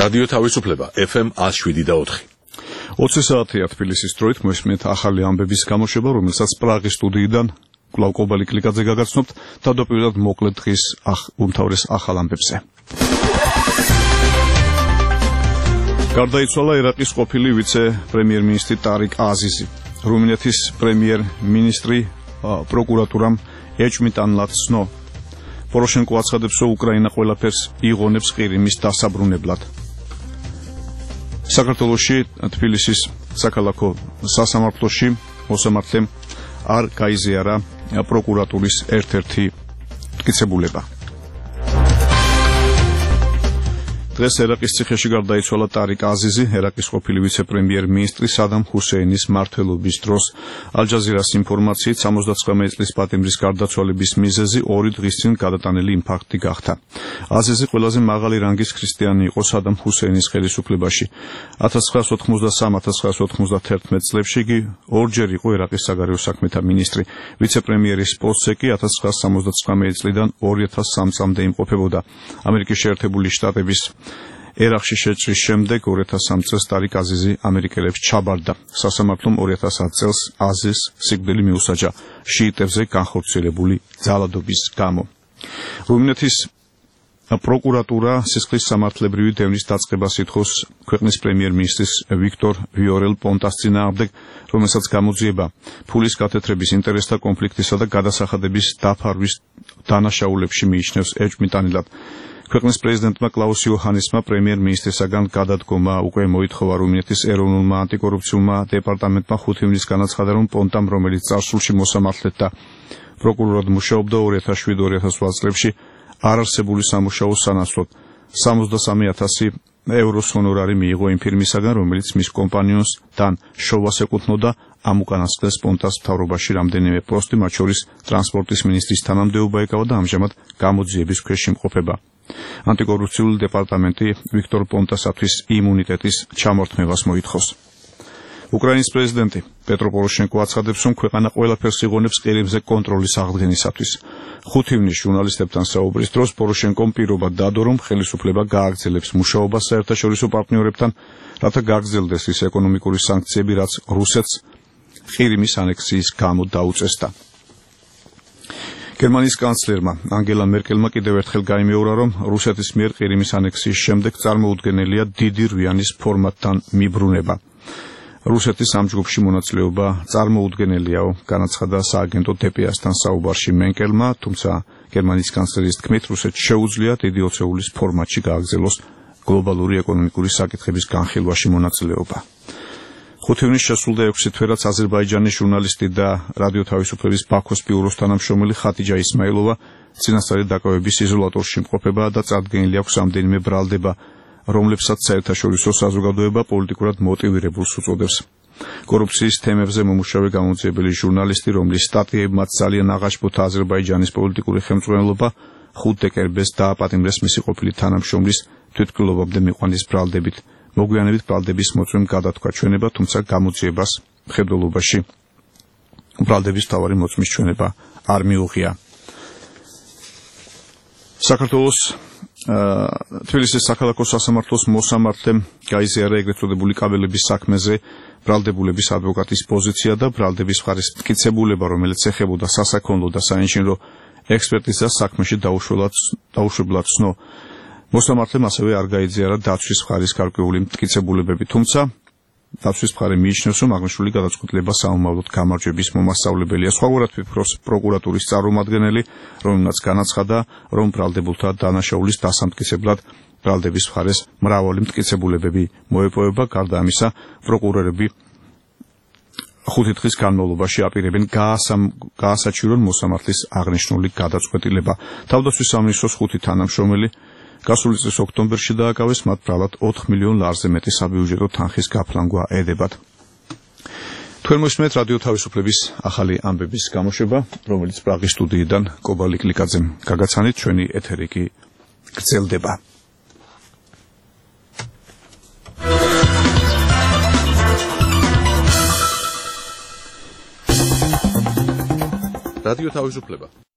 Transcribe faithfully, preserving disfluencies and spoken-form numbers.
რადიო თავისუფლება ეფ ემ one oh seven და four. ოცი საათია თბილისის დროით მოისმენთ ახალი ამბების გამოშვება, რომელსაც პრაღის სტუდიიდან კვლავ კობალი კლიკაძე გაგაცნობთ. თავდაპირველად მოკლედ დღის უმთავრეს ახალ ამბებზე. გარდაიცვალა ერაყის ყოფილი ვიცე-პრემიერ-მინისტრი ტარიკ აზიზი. რუმინეთის პრემიერ-მინისტრი პროკურატურამ ეჭვმიტანლად ცნო. პოროშენკო აცხადებს, რომ უკრაინა ყველაფერს იღონებს ყირიმის დასაბრუნებლად. საქართველოში თბილისის საქალაქო სასამართლოში მოსამართლემ არ გაიზიარა პროკურატურის ერთ-ერთი მტკიცებულება. დღეს ერაყის ციხეში გარდაიცვალა ტარიკ აზიზი, ერაყის ყოფილი ვიცე-პრემიერ-მინისტრი სადამ ჰუსეინის მმართველობის დროს. ალ-ჯაზირას ინფორმაციით სამოცდათვრამეტი წლის პატიმრის გარდაცვალების მიზეზი ორი დღის წინ გადატანილი ინფარქტი გახდა. აზიზი ყველაზე მაღალი რანგის ქრისტიანი იყო სადამ ჰუსეინის ხელისუფლებაში. ათას ცხრაას ოთხმოცდასამ - ათას ცხრაას ოთხმოცდათერთმეტ წლებში იგი ორჯერ იყო ერაყის საგარეო საქმეთა მინისტრი. ვიცე-პრემიერის პოსტზე კი ათას ცხრაას სამოცდათვრამეტი წლიდან ორი ათას სამი წლამდე იმყოფებოდა. ამერიკის შეერთებული შტატების ერაყში შეჭრის შემდეგ ორი ათას სამი წელს ტარიკ აზიზი ამერიკელებს ჩაბარდა. სასამართლომ ორი ათას ათი წელს აზიზს სიკვდილი მიუსაჯა შიიტებზე განხორციელებული ძალადობის გამო. რუმინეთის პროკურატურა სისხლის სამართლებრივი დევნის დაწყებას ითხოვს ქვეყნის პრემიერ-მინისტრის ვიქტორ ვიორელ პონტას წინააღმდეგ, რომელსაც გამოძიება ფულის გათეთრების, ინტერესთა კონფლიქტისა და გადასახადების დაფარვის დანაშაულებში მიიჩნევს ეჭვმიტანილად. ქვეყნის პრეზიდენტმა კლაუს იოჰანესმა პრემიერ-მინისტრისაგან გადადგომა უკვე მოითხოვა. რუმინეთის ეროვნულმა ანტიკორუფციულმა დეპარტამენტმა ხუთი ივნისს განაცხადა, რომ პონტამ, რომელიც წარსულში მოსამართლედ და პროკურორად მუშაობდა ორი ათას შვიდ - ორი ათას ოთხ წლებში, არარსებული სამუშაოს სანაცვლოდ სამოცდასამი ათასი ევროს ჰონორარი მიიღო იმ ფირმისაგან, რომელიც მის კომპანიონს დან შოვას ეკუთვნოდა. ამ უკანასკნელს პონტას მთავრობაში რამდენიმე პოსტი, მათ შორის ტრანსპორტის მინისტრის თანამდებობა ეკავა და ამჟამად გამოძიების ქვეშ იმყოფება. ანტიკორუფციული დეპარტამენტი ვიქტორ პონტასათვის იმუნიტეტის ჩამორთმევას მოითხოვს. უკრაინის პრეზიდენტი პეტრო პოროშენკო აცხადებს, რომ ქვეყანა ყველაფერს იღონებს ყირიმზე კონტროლის აღდგენისათვის. ხუთი ივნისს ჟურნალისტებთან საუბრის დროს პოროშენკომ პირობა დადო, რომ ხელისუფლება გააგრძელებს მუშაობას საერთაშორისო პარტნიორებთან, რათა გაგრძელდეს ის ეკონომიკური სანქციები, რაც რუსეთს ყირიმის ანექსიის გამო დაუწესდა. გერმანიის კანცლერმა ანგელა მერკელმა კიდევ ერთხელ გაიმეორა, რომ რუსეთის მიერ ყირიმის ანექსიის შემდეგ წარმოუდგენელია დიდი რვიანის ფორმატთან მიბრუნება. რუსეთის ამ ჯგუფში მონაწილეობა წარმოუდგენელიაო, განაცხადა სააგენტო დე პე ას-თან საუბარში მერკელმა, თუმცა გერმანიის კანცლერის თქმით, რუსეთს შეუძლია დიდი ოცეულის ფორმატში გააგრძელოს გლობალური ეკონომიკური საკითხების განხილვაში მონაწილეობა. ხუთი ივნისს შესრულდა ექვსი თვერაც აზერბაიჯანის ჟურნალისტი და რადიო თავისუფლების ბაქოს ბიუროს თანამშრომელი ხატიჯა ისმაილოვა წინასწარი დაკავების იზოლატორში იმყოფება და წარდგენილი აქვს რამდენიმე ბრალდება, რომლებსაც საერთაშორისო საზოგადოება პოლიტიკურად მოტივირებულს უწოდებს. კორუფციის თემებზე მომუშავე გამოძიებელი ჟურნალისტი, რომლის სტატიებმაც ძალიან აღაშფოთა აზერბაიჯანის პოლიტიკური ხელმძღვანელობა, ხუთ დეკემბერს დააპატიმრეს მისი ყოფილი თანამშრომლის თვითმკვლელობამდე მიყვანის ბრალდებით. მოგვიანებით ბრალდების მოწვევამ გადათქვა ჩვენება, თუმცა გამოძიებას მხედველობაში ბრალდების მთავარი მოწმის ჩვენება არ მიუღია. საქართველოს თბილისის საქალაქო სასამართლოს მოსამართლემ გაიზიარა ეგრეთ წოდებული კაბელების საქმეზე ბრალდებულების ადვოკატის პოზიცია და ბრალდების მხარის მტკიცებულება, რომელიც ეხებოდა სასაქონლო და საინჟინრო ექსპერტიზას საქმეში დაუშვებლად ცნო. მოსამართლემ ასევე არ გაიზიარა დაცვის მხარის გარკვეული მტკიცებულებები, თუმცა დაცვის მხარე მიიჩნევს, რომ აღნიშნული გადაწყვეტილება საომავლოდ გამარჯვების მომასწავლებელია. სხვაგვარად ფიქრობს პროკურატურის წარმომადგენელი, რომელმაც განაცხადა, რომ ბრალდებულთა დანაშაულის დასამტკიცებლად ბრალდების მხარეს მრავალი მტკიცებულებები მოეპოვება. გარდა ამისა, პროკურორები ხუთი დღის განმავლობაში აპირებენ გაასაჩივრონ მოსამართლის აღნიშნული გადაწყვეტილება. თავდაცვის სამინისტროს ხუთი თანამშრომელი გასული წლის ოქტომბერში დააკავეს, მათ ბრალად ოთხ მილიონ ლარზე მეტი საბიუჯეტო თანხის გაფლანგვა ედებათ. თქვენ მოსმენთ რადიო თავისუფლების ახალი ამბების გამოშვება, რომელიც პრაღის სტუდიიდან კობალი კლიკაძემ გაგაცანით, ჩვენი ეთერი კი გრძელდება. რადიო თავისუფლება